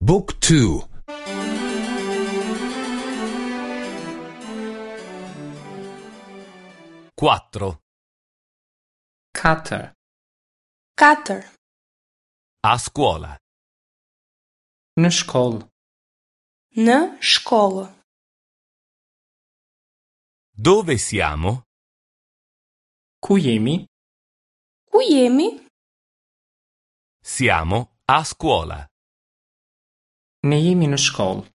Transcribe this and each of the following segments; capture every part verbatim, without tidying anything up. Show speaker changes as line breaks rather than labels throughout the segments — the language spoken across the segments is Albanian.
Book two.
Quattro.
Katër.
Katër.
A scuola.
Në shkollë.
Në shkollë.
Dove siamo?
Ku jemi?
Ku jemi?
Siamo a scuola.
Ne jemi në shkollë.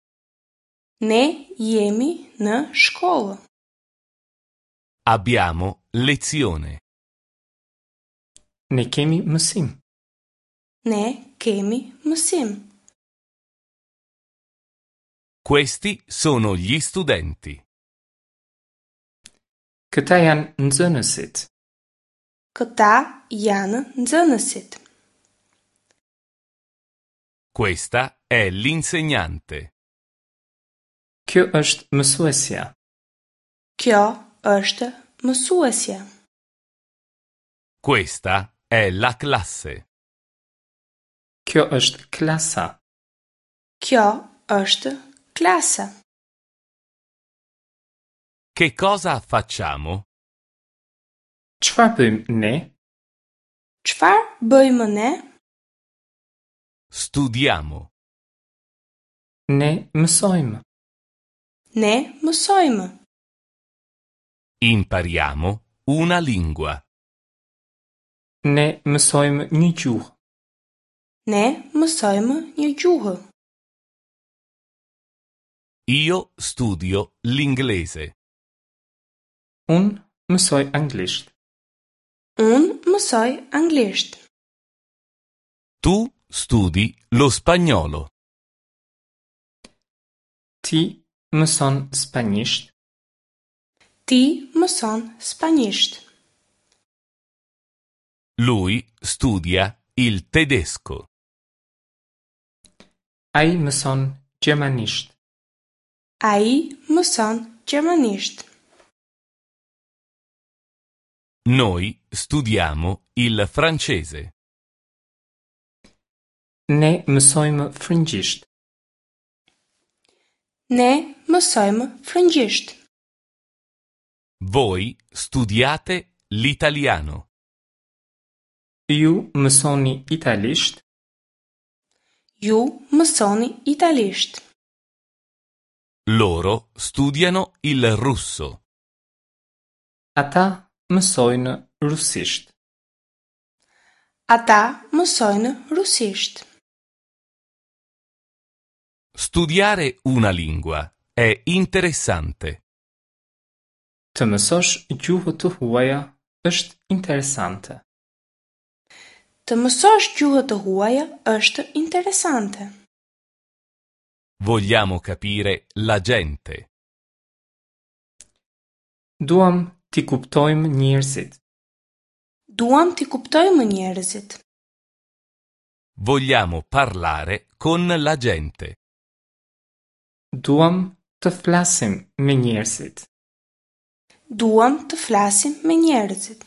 Ne jemi në shkollë.
Abbiamo lezione.
Ne kemi mësim.
Ne kemi mësim.
Questi sono gli studenti.
Këta janë nxënësit.
Këta janë nxënësit.
Questa è l'insegnante.
Kjo është mësuesja.
Kjo është mësuesja.
Questa è la classe.
Kjo është klasa.
Kjo është klasa.
Che cosa facciamo?
Çfarë bëjmë ne?
Çfarë bëjmë ne?
Studiamo.
Ne mësojmë.
Ne mësojmë.
Impariamo una lingua.
Ne mësojmë një gjuhë.
Ne mësojmë një gjuhë.
Io studio l'inglese.
Unë mësoj anglisht.
Unë mësoj anglisht.
Tu studi lo spagnolo.
Ti mëson spanjisht.
Ti mëson spanjisht.
Lui studia il tedesco.
Ai mëson gjermanisht.
Ai mëson gjermanisht.
Noi studiamo il francese.
Ne mësojmë frëngjisht.
Ne mësojmë frëngjisht.
Voi studiate l'italiano.
Ju mësoni italisht.
Ju mësoni italisht.
Loro studiano il russo.
Ata mësojnë rusisht.
Ata mësojnë rusisht.
Studiare una lingua è interessante.
Të mësosh gjuhë të huaja është interesante.
Të mësosh gjuhë të huaja është interesante.
Vogliamo capire la gente.
Duam t'i kuptojmë njerëzit.
Duam t'i kuptojmë njerëzit.
Vogliamo parlare con la gente.
Duam të flasim me njerëzit.
Duam të flasim me njerëzit.